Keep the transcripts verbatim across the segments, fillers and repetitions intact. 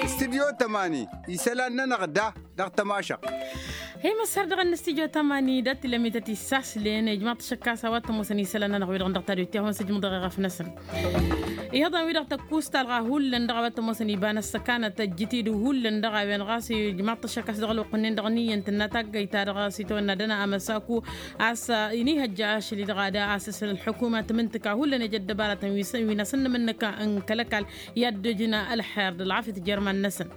Istidyo tămani isălan-nănăɣ da dăɣ-tămašăɣt. Hi-măssar dăɣ-ănnăstidyo tămani d-ăttilămităt issaslen ijmaḍ-t ašăkkas a-wa t-ămoosăn isălan-nănăɣ-wi-dăɣ dăɣ-tadwit i-ad-hawăn-sǝjmǝḍ eɣăf-năsăn. Iyyăḍ a-wi-dăɣ tăkkusta ălɣa hullan dăɣ-a-wa t-ămoosăn iba n-ăssăkanăt ăjjǝt-dd hullan dăɣ-a-wen ɣas ijmaḍ-t ašăkkas dăɣ-ălwăqq-nin-dăɣ n-iyyăn tǝnna taggayt-ta-dăɣ s-itawănna dăɣ-năa amăsaku. A-s inihăjja ašăl-i-dăɣ ad-asǝsǝl ălḥukuma tǝmǝntǝka hullan ija ăddăbaratăn wi n-asǝnnǝm-năk n-kăl-ăkall i-ad-dd-ǝjǝn ălxer d-ălɣafyăt jer-iman-năsăn.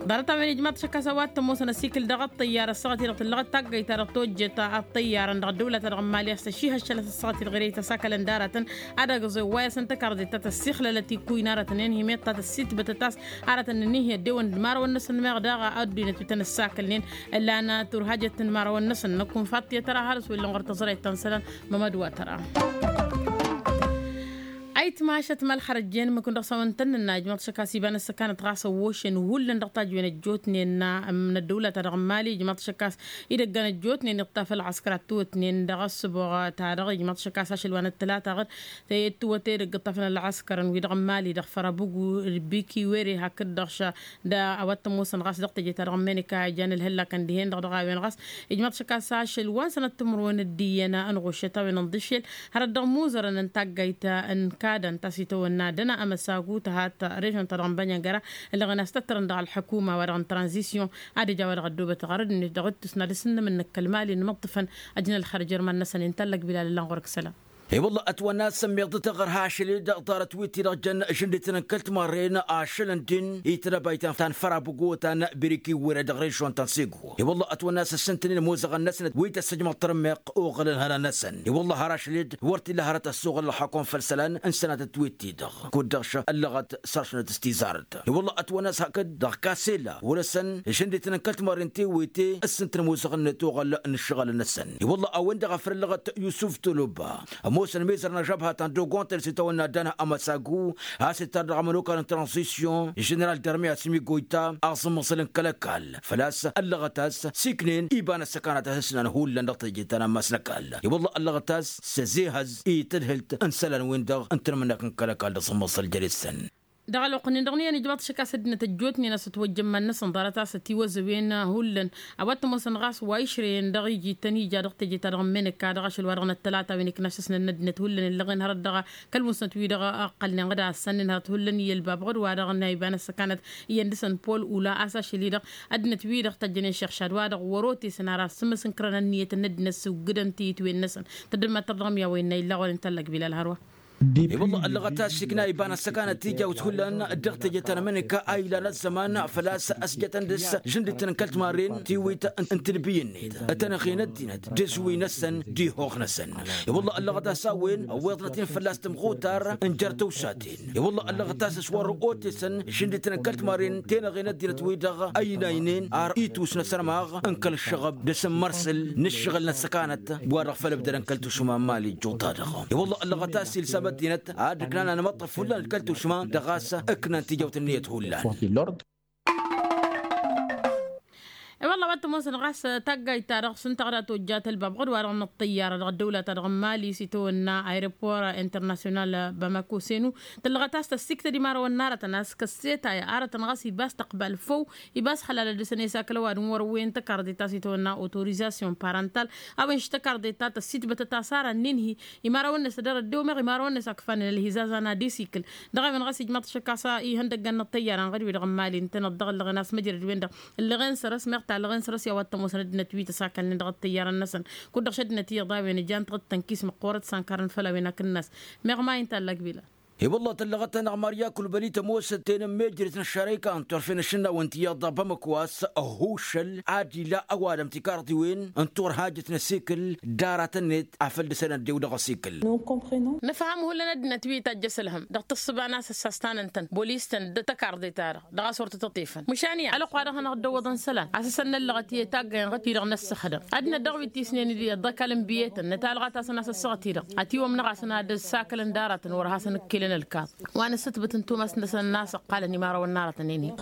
Ḍarăt-a-wen ijmaḍ-t ašăkkas a-wa t-ămoosăn ăsikǝl dăɣ-ăṭṭăyyar ăssaɣăt-i-dăɣ tǝllăɣăt taggayt-ta-dăɣ tojjet ăṭṭăyyarăn dăɣ-ăddăwla-ta-dăɣ n-imali a-s tăšihăššălăt ăssaɣăt-i-dăɣ ere-i tăsakălăn d-aratăn ad-ăgg-ăẓew wa i-asăn tăkarḍet ta tăssixlălăt ikkuy n-aratăn i-ănhimyăḍ ta tăssitbătăt a-s aratăn n-ănihăy ăddewăn d-imărawăn-năsăn meɣ daɣ ăddinăt wi tăn-ăssakălnen. Ǝllan turhajăt n-imărawăn-năsăn năkk unfaḍ tiyăt ara harǝs wăr illa n-ɣur-tăẓrayt ta n-isălan. Mămăd wa tăra ayǝtmašăt ma ălxărăjjen mǝkǝn dăɣ-s a-wen tăn-nǝnna ijmaḍ-t ašăkkas iba n-ăssăkanăt ɣas ăwwošen hullan dăɣ-tajwen ăjjootnen n-ăddăwla-ta-dăɣ n-imali ijmaḍ-t ašăkkas idăggan ăjjootnen iṭṭaf ălɣăskăr ad-t-ăwwătnen dăɣ-ăssǝboɣ-ta-dăɣ ijmaḍ-t ašăkkas ašăl wa n-ăttălata ɣǝd. Tăyăt tǝwwăte dăgg-ǝṭṭafăn ălɣăskărăn wi-dăɣ n-imali dăɣ-fărăbǝgu d-biki were hakd-dăɣ š-da a-wa t-ămoosăn ɣas dăɣ-teje-ta-dăɣ n-meneka ijan ǝlhǝllakăn dihen-dăɣ dăɣ-a-wen ɣas ijmaḍ-t ašăkkas ašăl wa n-sănăt timǝrwen d-iyyăn ănɣuššăt a-wen ǝnḍǝššel hărăt dăɣ-imuzărăn n-taggayt n-kadăn ta s-itawănna dăna amăsagu tăhat režon-ta-dăɣ n-bănyăngăra. Ǝllăɣen a-s tăttărăn dăɣ-ălḥukuma wa dăɣ-n tranzisyon ad-ǝja wa dăɣ-ăddoobăt ɣărăd-net dăɣ-ǝttǝsna d-asǝnnǝm-năk kăl-mali n-imǝṭṭǝfăn ăjnălxăr jer-iman-năsăn intallăg bilal ǝllan ɣur-ǝksăla. I-wălla ătwănna s-ămmiḍăt aɣărha ašăl-i-dăɣ ḍarăt wi-ti-dăɣ jăn žǝndit n-kăl-timarren ašăl n-din itădăbayt ta n-fărabugo ta n-biriki were dăɣ-režon ta n-sego. I-wălla ătwănna s-ǝssǝntǝnen imozăɣăn-năsnăt wi tăssăjmăḍ tărǝmmeɣ oɣălăn hărăn-năsăn i-wălla har ašăl-i-dăɣ wăr t-illa hărăt ăssoɣăl ălxakun făll-isălan n-sănatăt wi-ti-dăɣ kud-dăɣ šăh ăllăɣăt săr-ašănăt s-tizarăt. I-wălla ătwănna s-hakd dăɣ-kasela wăr-ăsăn žǝndit n-kăl-timarren ti wi-ti ǝssǝntǝn imozăɣăn-net oɣăl n-ǝššăɣǝl-năsăn. I-wălla a-wen-dăɣ a făl ăllăɣăt yusuf toloba ămoosăn mizăr n-ažăbha ta n-dogontăl s-itawănna dăna amăsagu a-s ittar dăɣ-amănokal n-tranzisyon ženeral darmi asǝmigoyta aẓǝmmăẓǝl n-kăl-ăkall făl-a-s ăllăɣăt a-s siknen iba n-ăssăkanăt a-s ǝsnan hullan dăɣ-teje ta n-ammas n-ăkall. I-wălla ăllăɣăt a-s s-ăzehăz i-tadhǝlt n-isălan-win-dăɣ n-tanmǝnnak n-kăl-ăkall d-aẓǝmmăẓǝl jere-săn. Dăɣ-ălwăqq-nin-dăɣ n-iyyăn ijmaḍ-t ašăk a-s ăddinăt ăjjootnen a-s ătwăjjăn iman-năsăn ḍarăt a-s ătiwăzăwen hullan a-wa t-ămoosăn ɣas wa išrăyăn dăɣ-iji tăn-ija dăɣ-teje-ta-dăɣ n-meneka dăɣ-ašăl wa dăɣ-năttălata a-wen iknašăsnen n-ăddinăt hullan ǝllăɣen hărăt dăɣ-kăl-musnăt wi-dăɣ ăqqălnen ɣǝd a ăssănnen hărăt hullan i-ălbab ɣǝd-wa-dăɣ n-a iba n-ăssăkanăt iyyăn dăɣ-săn pol ula a-s ašăl-i-dăɣ ăddinăt-wi-dăɣ tăjjănen šăɣšad-wa-dăɣ wăr-otesăn ar asǝmmǝs n-kărăn ǝnniyăt n-ăddinăt s-ǝwgǝdăn tiyǝtwen-năsăn. Tăddămma tărdăɣ mi-a-wa innă illăɣ wăren tallăg bilal hărwa. I-wălla ăllăɣăt a-s ikna iba n-ăssăkanăt tijawt hullan dăɣ-teje ta n-ămăneka a ilan ăzzăman făl-a-s ăsjătăn dăɣ-s žǝndǝt n-kăl-timarren tiwit n-tǝnbǝy-net tănăɣen ăddinăt d-ǝzwǝy-năsăn d-ihoɣ-năsăn. I-wălla ăllăɣăt a-s a-wen ăwweḍnăt-in fălla-s tămɣutar n-jer-tăwsaten. I-wălla ăllăɣăt a-s s-wăr-otesăn žǝndǝt n-kăl-timarren tenăɣen ăddinăt wi-dăɣ ăynaynen ar itus n-asărmaɣ n-kăl-ǝššăɣăb d-asǝmmărsǝl n-ǝššăɣǝl n-ăssăkanăt wa-dăɣ făll-ǝbdădăn kăl-tušuma n-imali ǝjjuḍ-ta-dăɣ. I-wălla ăllăɣăt a-s ilsam ăddinăt ad-ǝknan anmăṭṭăf hullan d-kăl-tušuma dăɣ-a-s ǝknan tijawt ǝnniyăt hullan. I-wălla a-wa t-ămoosăn ɣas taggayt-ta-dăɣ s-ǝnta ɣǝd a tojjat ălbab ɣǝd wa-dăɣ n-ăṭṭăyyară dăɣ-ăddăwla-ta-dăɣ n-mali s-itawănna aeropor internasyonal bamako senu. Tǝllăɣăt a-s tăssiktăd imărawăn n-arătăn a-s kăssetay arătăn ɣas iba s-tăqbal făw iba s-xălalăt dăɣ-săn i-sakăl ăwadǝm wăr-wen tăkarḍe ta s-itawănna autorizasyon parantal. A-wen š-tăkarḍe ta tăssitbătăt a-s ara n-inhi imărawăn-net dăr-ăddew meɣ imărawăn-net a kǝfanen ălhizazan ad-isikǝl. Dăɣ-a-wen ɣas ijmaḍ-t šăkk a-s ihăndăggăn n-ăṭṭăyyara n-ɣăd-wi-dăɣ n-mali ǝntăneḍ dăɣ-ăllăɣen a-s măjrăd-wen-dăɣ ǝllăɣen săr-s meɣ ta ăllăɣen săr-s i-a-wa t-ămoosăn ăddinăt wi tăsakalnen dăɣ-ăṭṭăyyarăn-năsăn. Kud-dăɣ šăddinăt iyyăḍ a-wen ǝjan tiɣǝd tănkis măqqoorăt s-ankarăn făll-a-wen akǝnnas. Meɣ ma inta ăllăg bila. I-wălla tăllăɣăt-anăɣ marya kulbăli tămoosăt tenămmejret n-ăššărăyka n-turfen ašǝnnawăn ti iyyăḍ dăɣ-bamăko a-s ăhušăl ad-ila ăwadǝm tikarḍiwen n-turhajăt n-asikǝl d-aratăn-net afăl dăɣ-săn ăddew dăɣ-asikǝl. Nǝfhăm hullan ăddinăt wi tajj asǝlhăm dăɣ-tǝssǝba n-asǝssas ta n-ǝntăn bolis-tăn d-tăkarḍe-ta-dăɣ dăɣ-a-s wăr tăt-ăṭṭefăn măšan iyyăn ălwăqq-wa-dăɣ hanăɣ-dd-ăwwăḍăn isălan a-s ăsănnăllăɣăt i-taggayăn ɣǝd-ti-dăɣ n-ăssăxdăm ăddinăt dăɣ-wi t-isnen d-ăkall n-biyetăn nătalɣa-tasăn a-s ăssaɣăt-i-dăɣ ătiwămnăɣ-asăn ad-ăssakălăn d-aratăn wăr hasăn-ǝkkelăn. N-ălkaḍ wa n-ǝssǝtbǝt n-tumas-năsăn n-a-s ǝqqalăn imarăwăn n-aratăn-en-in.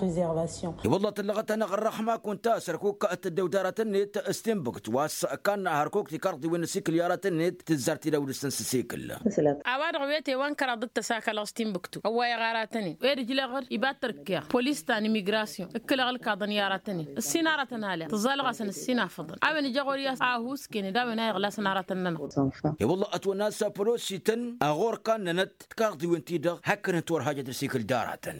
I-wălla tǝllăɣăt-anăɣ ărrăxma kunta s-ărkuk ăddăwt aratăn-net s-tinbǝkt wa s-ǝkkanna hărkuk tikarḍiwen n-asikǝl i-aratăn-net tǝzzar tidawdǝst n-sǝsikǝl. A-wa-dăɣ wete wa n-kăraḍ d-tăsakălăɣ s-tinbǝktu ăwwayăɣ aratăn-in ed ǝjleɣ-dd iba t-ărkeɣ polis ta n-imigration ǝkkǝlăɣ ǝlkaḍăn i-aratăn-in ǝssin aratăn aleɣ tǝẓẓalăɣ-asăn ǝssin afǝḍăn a-wen ija ɣur-i a-s a ăhuusken d-a-wen a iɣlasăn aratăn-nănăɣ. I-wălla ătwănna a-s pălosităn a ɣur-kannănăt tikarḍiwen-ti-dăɣ hakd ǝnta wăr hajăt ăsikǝl d-aratăn.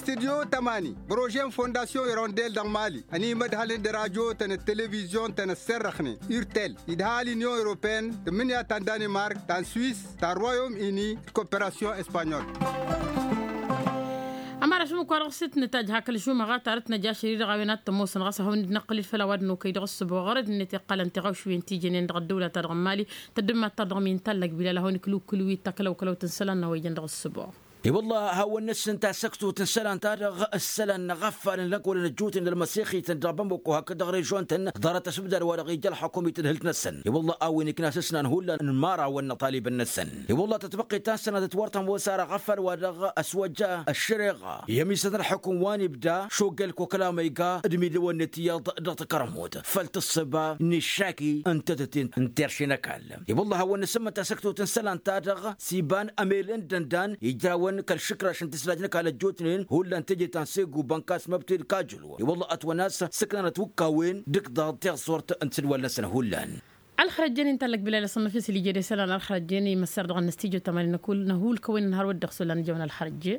Studyo tămani bărožen fondasyon irondel dăɣ-mali ănimădhălăn d-radyo-tăn d-televizyon-tăn ăsserrăxnen urtel idhal inyon europeen tǝmmǝnǝya ta n-danimark ta n-swis ta n-royom ini d-koperasyon espanyol. Ămăra šumǝk-wa-dăɣ s-t-nǝtajj hak ălžumăɣa ta dăɣ-t năjašăr-i-dăɣ a-wen ad-t-ămoosăn ɣas ad-hawăn-dd-năqqǝl-dd făll-a-wa dd-nokăy dăɣ-ăssǝboɣ ɣărăd-net iqqălăn tiɣawšwen ti jănen dăɣ-ăddăwla-ta-dăɣ n-mali tăddǝmmat-ta-dăɣ mi n-tallăg bilal ad-hawăn-ikǝlwǝkǝlwǝy d-takălăwkălăwt n-isălan n-a-wa ijăn dăɣ-ăssǝboɣ. I-wălla ad-hawăn-năsǝnta săktut n-isălan-ta-dăɣ ǝssălan n-aɣăffalăn lănk wăla năjjutnen d-ălmăsixităn dăɣ-bamăko hakd dăɣ-režion-tăn ḍarăt ăsbǝdar-wa-dăɣ ija ălxăkum i-tadhǝlt-năsăn. I-wălla a-wen ikna s-ǝsnan hullan n-imărawăn n-iṭalibăn-năsăn. I-wălla tătbăqqet ta n-sănatăt wăr tămoos ar aɣăffal-wa-dăɣ ăswăjja ăššăreɣa i-ămisăt n-ălxăkum wa n-ibda šoggel kokăla ma iga d-imidǝwăn-net iyyăḍ dăɣ-takărmut făll-tǝssǝba n-iššaki n-tetăt-in n-terše n-ăkall. I-wălla ad-hawăn-năsǝmmănta săktut n-isălan-ta-dăɣ s-iba n-emel n-dăndan ijrawăn kăl-išǝkraš n-tǝslaj n-ăkall ăjjootnen hullan teje ta n-segu bănkas măbtǝl kajǝlwăn i-wălla ătwănna-s sǝknanăt wǝkkawen d-ǝkḍaḍ tiɣsurt n-tisǝdwal-năsăn hullan. Ălxărăjjen-i n-tallăk bilal asănnăf-i s-lijed isălan ălxărăjjen-i măssar dăɣ-năstijju tămani năhul-kăwăn-in hărwăt dăɣ-s wăla nǝjăwăn ălxărăjje.